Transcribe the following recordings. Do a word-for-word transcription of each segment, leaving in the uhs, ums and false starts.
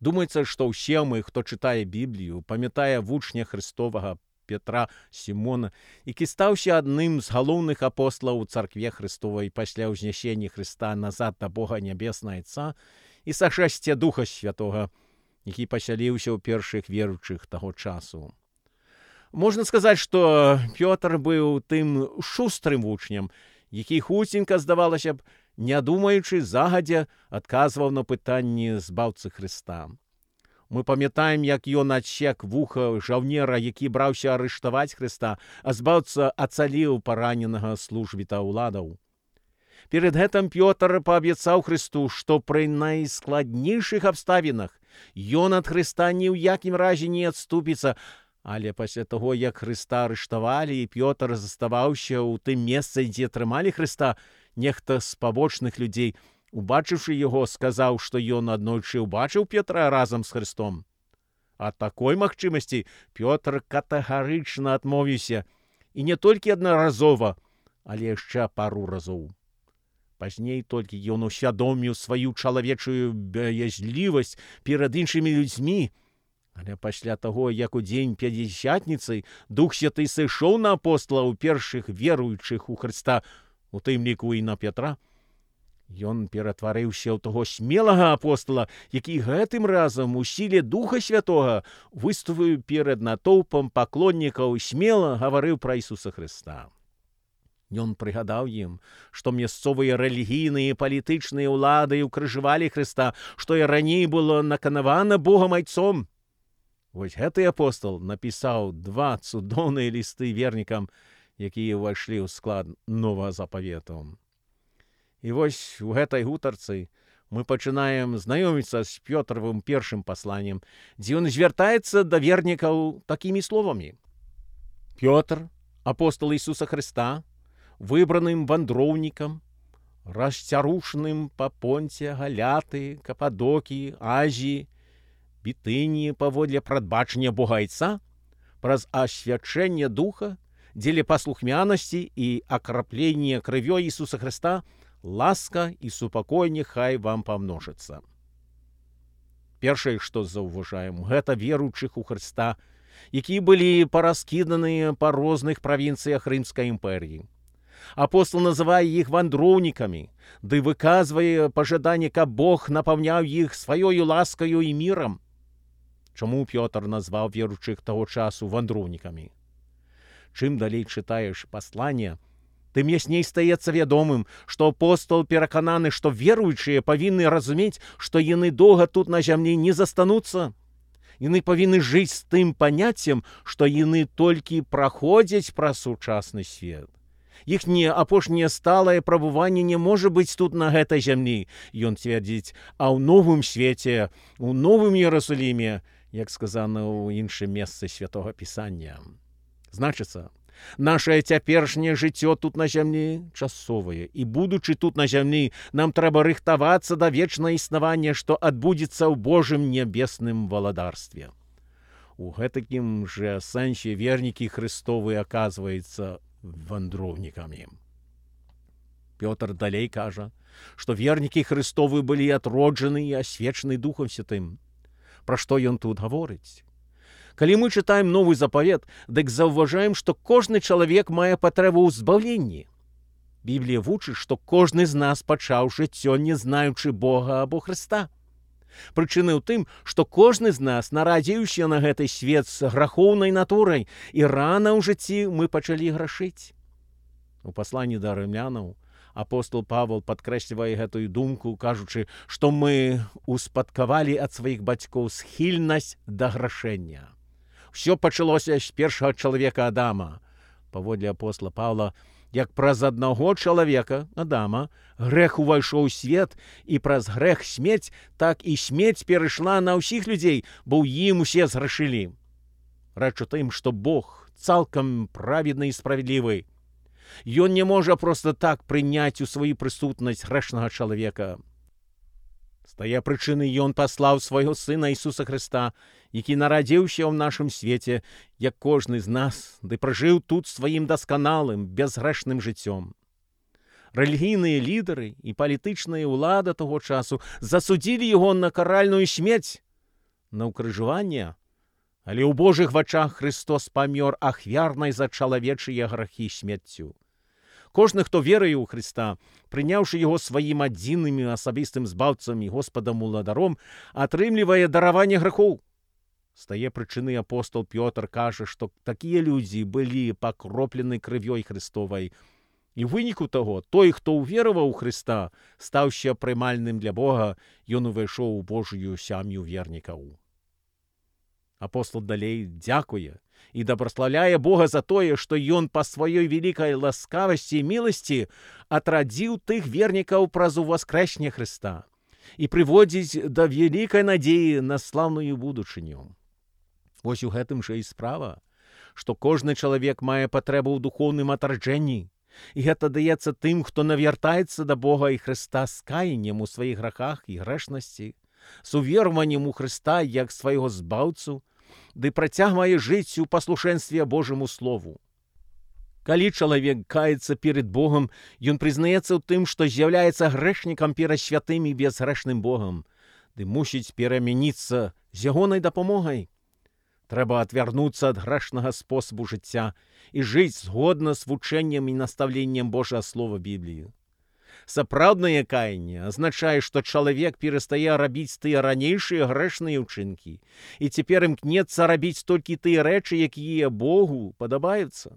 Думаецца, што ўсе мы, хто чытае Біблію, памятае вучня Христовага Петра Сімона, які стаўся адным з галоўных апосталаў у царкве Христовай пасля ўзнясення Христа назад да Бога Нябеснага Отца і сашэсця Духа Святога, які пасяліўся ў першых веруючых таго часу. Можна сказаць, што Пётр быў тым шустрым вучнем, які хуценька, здавалася б, не думаючы, загадзя адказваў на пытанні збаўцы Христа. Мы памятаем, як ён адсек вуха жаўнера, які браўся арыштаваць Христа, а збаўца ацаліў параненага службіта ўладаў. Перед гэтым Пётр паабяцаў Христу, што пры найскладнейшых абставінах ён ад Христа ні ў якім разе не адступіцца, але пасля таго, як Христа арыштавалі і Пётр заставаўся ў тым месцы, дзе трымалі Христа, нехта з пабочных людзей, убачыўшы яго, сказаў, што ён аднойчы ўбачыў Петра разам з Христом. Ад такой магчымасці Пётр катэгарычна адмовіўся, і не толькі аднаразова, але яшчэ пару разоў. Пазней толькі ён усвядоміў сваю чалавечую баязлівасць перад іншымі людзьмі, але пасля таго, як у дзень пятидзясятніцы Дух Святы сышоў на апосталаў першых веруючых у Христа, у тым ліку і на Петра, ён ператварыўся ў таго смелага апостала, які гэтым разам у сіле Духа Святога выступіў перад натоўпам паклоннікаў і смела гаварыў пра Ісуса Христа. Ён прыгадаў ім, што мясцовыя рэлігійныя і палітычныя ўлады ўкрыжавалі Христа, што і раней было наканавана Богам Айцом. Вось гэты апостал напісаў два цудоўныя лісты вернікам, якія ўвайшлі ў склад Новага Запавету. І вось у гэтай гутарцы мы пачынаем знаёміцца з Пётравым першым пасланнем, дзе ён звяртаецца да вернікаў такімі словамі. Пётр, апостал Ісуса Христа, выбраным вандроўнікам, расцярушаным па Понце, Галяты, Кападокіі, Азіі, Бітыніі паводле прадбачання Бога Айца, праз асвячэнне Духа, дзеля паслухмянасці і акраплення крывёй Ісуса Христа, ласка і супакой няхай вам памножыцца. Першае, што заўважаем, гэта веруючых у Христа, якія былі параскіданыя па розных правінцыях Рымскай імперіі. Апостол называе іх вандроўнікамі, ды выказвае пажаданне, каб Бог напаўняў іх сваёю ласкаю і мірам. Чаму Пётр назваў веруючых таго часу вандроўнікамі? Чым далей чытаеш пасланне, тым ясней стаецца вядомым, што апостол перакананы, што веруючыя павінны разумець, што яны доўга тут на зямлі не застануцца. Яны павінны жыць з тым паняццем, што яны толькі праходзяць праз сучасны свет. Іхняе апошняе сталае прабыванне не можа быць тут на гэтай зямлі, ён цвердзіць, а ў новым свеце, у новым Іерусаліме, як сказана ў іншым месцы Святога Пісання. Значыцца, нашае цяперашняе жыццё тут на зямлі часовае, і будучы тут на зямлі, нам трэба рыхтавацца да вечнае існавання, што адбудзецца ў Божым нябесным валадарстве. У гэтакім жа сэнсе вернікі Христовы аказваюцца вандроўнікамі. Пётр далей кажа, што вернікі Христовы былі атроджаны і асвечаны Духам Святым. Пра што ён тут гаворыць? Калі мы чытаем Новы Запавет, дык заўважаем, што кожны чалавек мае патрэбу ў збаўленні. Біблія вучыць, што кожны з нас пачаў жыццё, не знаючы Бога або Христа. Прычыны ў тым, што кожны з нас нарадзіўся на гэты свет з грахоўнай натурай, і рана ў жыцці мы пачалі грашыць. У пасланні да рымлянаў апостол Павел падкрэслівае гэтую думку, кажучы, што мы успадкавалі ад сваіх бацькоў схільнасць да грашэння. Усё пачалося з першага чалавека Адама. Паводле апостола Павла, як праз аднаго чалавека, Адама, грэх увайшоў у свет, і праз грэх смерць, так і смерць перайшла на ўсіх людзей, бо ў ім усе зграшылі. Рэч у тым, што Бог цалкам праведны і справядлівы. Ён не можа проста так прыняць у сваю прысутнасць грэшнага чалавека. З тае прычыны ён паслаў свайго сына Ісуса Христа, які нарадзіўся ў нашым свеце, як кожны з нас, ды пражыў тут сваім дасканалым, бязгрэшным жыццём. Рэлігійныя лідары і палітычная ўлада таго часу засудзілі яго на каральную смерць, на ўкрыжаванне, але ў Божых вачах Христос памёр ахвярнай за чалавечыя грахі смерцю. Кожны, хто веруе ў Христа, прыняўшы яго сваім адзіным і асабістым збаўцам і Господам уладаром, атрымлівае дараванне грахоў. З тае прычыны апостол Пётр кажа, што такія людзі былі пакроплены крывёй Христовай. І ў выніку таго, той, хто ўвераваў у Христа, стаўся прымальным для Бога, ён увайшоў у Божую сям'ю вернікаў. Апостол далей дзякуе і дабраслаўляе Бога за тое, што ён па сваёй вялікай ласкавасці і міласці атрадзіў тых вернікаў праз уваскрэсне Христа і прыводзіць да вялікай надзеі на слаўную будучыню. Вось у гэтым жа і справа, што кожны чалавек мае патрэбу ў духоўным атраджэнні, і гэта даецца тым, хто навяртаецца да Бога і Христа з каяннем у сваіх грахах і грэшнасці, з уверваннем у Христа як свайго збаўцу, ды працягвае жыць у паслушэнстве Божаму Слову. Калі чалавек каецца перед Богом, ён прызнаецца ў тым, што з'яўляецца грэшнікам перад святым і безгрэшным Богом, ды мусіць перамяніцца з ягонай дапамогай. Трэба адвярнуцца ад грэшнага спосабу жыцця і жыць згодна з вучэннем і настаўленнем Божага Слова Бібліі. Сапраўднае каянне азначае, што чалавек перастае рабіць тыя ранейшыя грэшныя ўчынкі і цяпер імкнецца рабіць толькі тыя рэчы, якія Богу падабаюцца.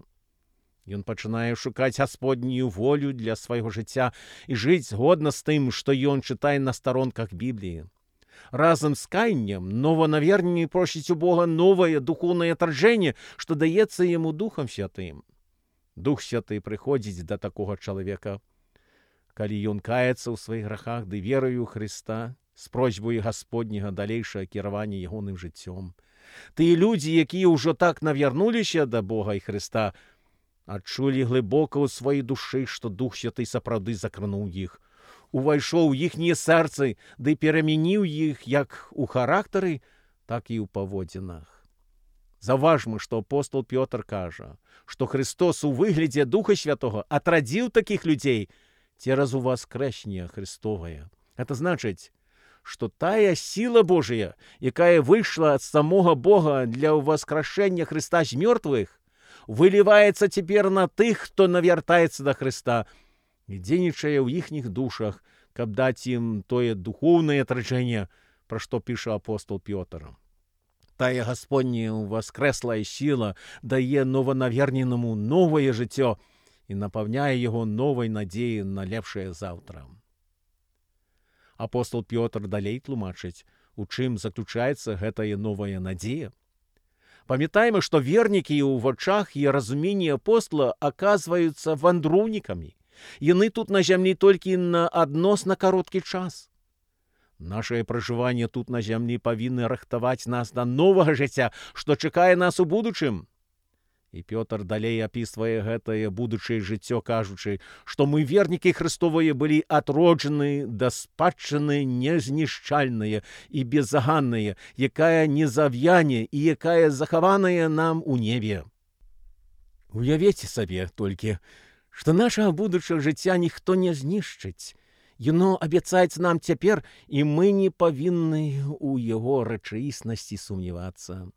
Ён пачынае шукаць Гасподнюю волю для свайго жыцця і жыць згодна з тым, што ён чытае на старонках Бібліі. Разам з каяннем нованаверненне просіць у Бога новае духоўнае атраджэнне, што даецца яму Духам Святым. Дух Святы прыходзіць да такога чалавека, калі ён каецца ў сваіх грахах ды верою ў Христа з просьбай Гасподняга далейшае кіравання ягоным жыццём. Тыя людзі, якія ўжо так навярнуліся да Бога і Христа, адчулі глыбока ў сваёй душы, што Дух Святы сапраўды закрануў іх, увайшоў у іхнія сэрцы ды перамяніў іх як у характары, так і ў паводзінах. Заўважма, што апостол Пётр кажа, што Христос у выглядзе Духа Святога атрадзіў такіх людзей цераз уваскрэсне Христовае. Гэта значыць, што тая сіла Божая, якая выйшла ад самога Бога для ўваскрашэння Христа з мёртвых, выліваецца цяпер на тых, хто навяртаецца да Христа і дзейнічае ў іхніх душах, каб даць ім тое духоўнае атраджэнне, пра што піша апостол Пётр. Тая Гасподняя ўваскрэслая сіла дае нованаверненаму новае жыццё і напаўняе яго новай надзеяй на лепшае заўтра. Апостол Пётр далей тлумачыць, у чым заключаецца гэтая новая надзея. Памятаем, што вернікі ў вачах і разуменні апостола аказваюцца вандроўнікамі. Яны тут на зямлі толькі на адносна кароткі час. Нашае пражыванне тут на зямлі павінны рыхтаваць нас да новага жыцця, што чакае нас у будучым. І Пётр далей апісвае гэтае будучае жыццё, кажучы, што мы, вернікі Христовыя, былі атроджаны да спадчыны незнішчальныя і безаганныя, якая не завяне і якая захаваная нам у небе. Уявіце сабе толькі, што нашага будучага жыцця ніхто не знішчыць. Яно абяцаецца нам цяпер, і мы не павінны ў яго рэчаіснасці сумнявацца.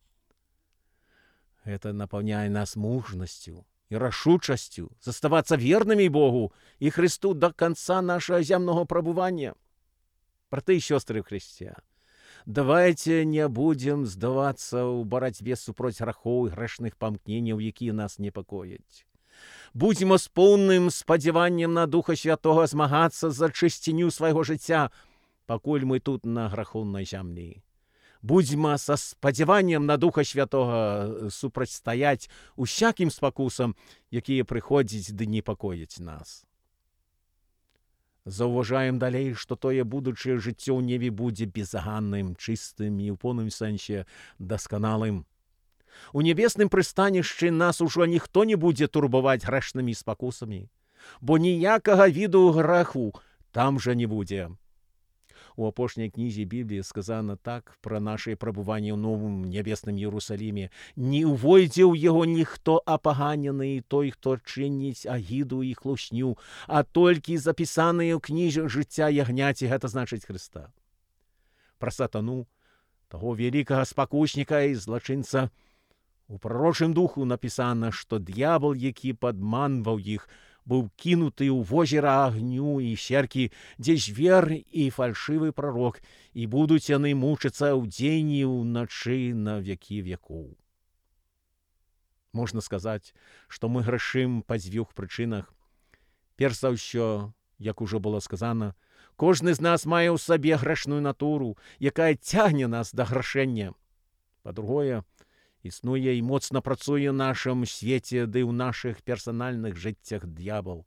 Гэта напаўняе нас мужнасцю і рашучасцю заставацца вернымі Богу і Христу да канца нашага зямнога прабывання. Браты і сёстры ў Христе, давайце не будзем здавацца ў барацьбе супроць грахоў і грэшных памкненняў, якія нас непакояць. Будзьмо з поўным спадзяваннем на Духа Святога змагацца за чысціню свайго жыцця, пакуль мы тут на грахоўнай зямлі. Будзьма са спадзяваннем на Духа Святога супрацьстаяць усякім спакусам, якія прыходзяць ды непакояць нас. Заўважаем далей, што тое будучае жыццё ў небе будзе безаганным, чыстым і ў поўным сэнсе дасканалым. У небесным прыстанішчы нас ужо ніхто не будзе турбаваць грэшнымі спакусамі, бо ніякага віду граху там жа не будзе. У апошняй кнізе Бібліі сказана так пра нашае прабыванне ў новым небесным Іерусаліме: «Не ўвойдзе ў яго ніхто апаганены, той, хто чыніць агіду і хлусню, а толькі запісаныя ў кнізе жыцця ягняці», гэта значыць Христа. Пра сатану того великого спокусника и злочинца. У пророчым духу написано, что дьявол, який подманывал их, был кинутый у озера огню и серки, где зверь и фальшивый пророк, и будут они мучиться в день и в ночи на веки веков. Можна сказати, що ми грішим по двох причинах. Перш що, як уже було сказано, кожен з нас має у собі грешну натуру, яка тягне нас до грішення. По-друге, існує і моцно працює в нашому світі, де в наших персональних життях дьявол.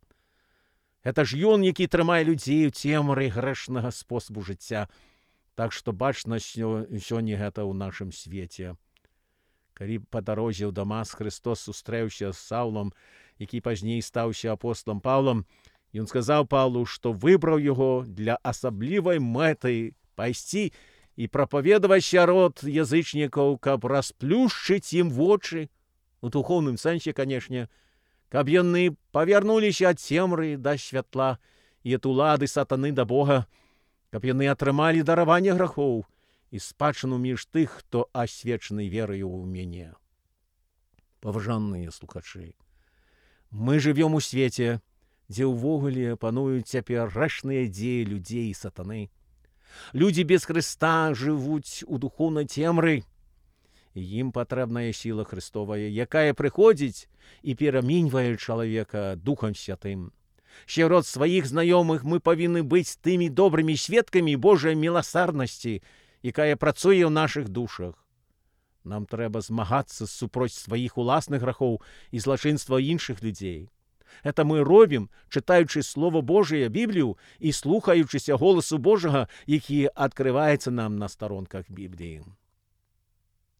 Це ж він, який тримає людей в темрі грешного способу життя. Так що бачно сьогодні це у нашому світі. Коли по дорозі в Дамаск Христос зустрівся з Савлом, який пізніше стався апостолом Павлом, і він сказав Павлу, що вибрав його для особливої мети пойти і проповідувати род язичників, щоб розплющити їм в очі, у духовному сенсі, звісно, щоб вони повернулися від темри до світла і від улади сатани до Бога, щоб вони отримали дарування гріхів і спадщину між тих, хто освячений вірою в мене. Поважані слухачі, ми живемо у світі, де увогуле панують тепер грешні ідеї людей і сатани. Люди без Христа живуть у духовній темрі, і їм потрібна сила Христова, яка приходить і перемінює чоловіка Духом Святим. Ще род своїх знайомих ми повинні бути тими добрими свідками Божої милосердності, яка працює в наших душах. Нам треба змагатися супроть своїх власних гріхів і злочинства інших людей. Це ми робимо, читаючи Слово Божє, Біблію, і слухаючися голосу Божого, який відкривається нам на сторонках Біблії.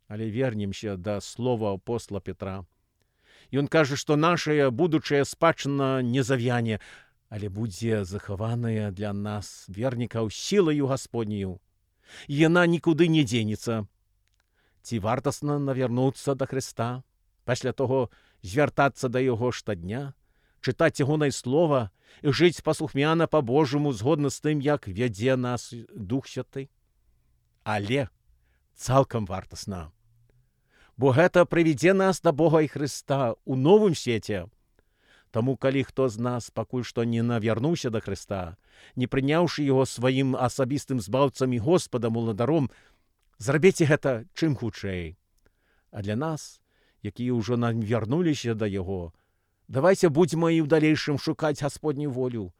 Але вернемося до слова апостола Петра. І він каже, що наша будучая спадщина не зав'яне, але буде захована для нас, вірників, силою Господньою. І вона нікуди не денеться. Ці вартосно навернутися до Христа, після того звертатися до Його щодня, читати Його Слово і жити послухмяно по-Божому, згодно з тим, як веде нас Дух Святий. Але цілком вартосно. Бо це приведе нас до Бога і Христа у новому світі. Тому, коли хто з нас поки що не навернувся до Христа, не прийнявши Його своїм особистим збавцем і Господом уладаром, зробіть це чим худше. А для нас, які вже навернулися до Його, давайте будемо і в дальнейшем шукати Господню волю,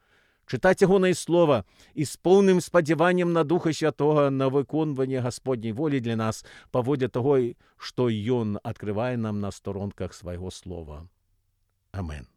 читати Його Слово і з повним сподіванням на Духа Святого на виконування Господньої волі для нас, поводі того, що Він відкриває нам на сторонках Свого Слова. Амин.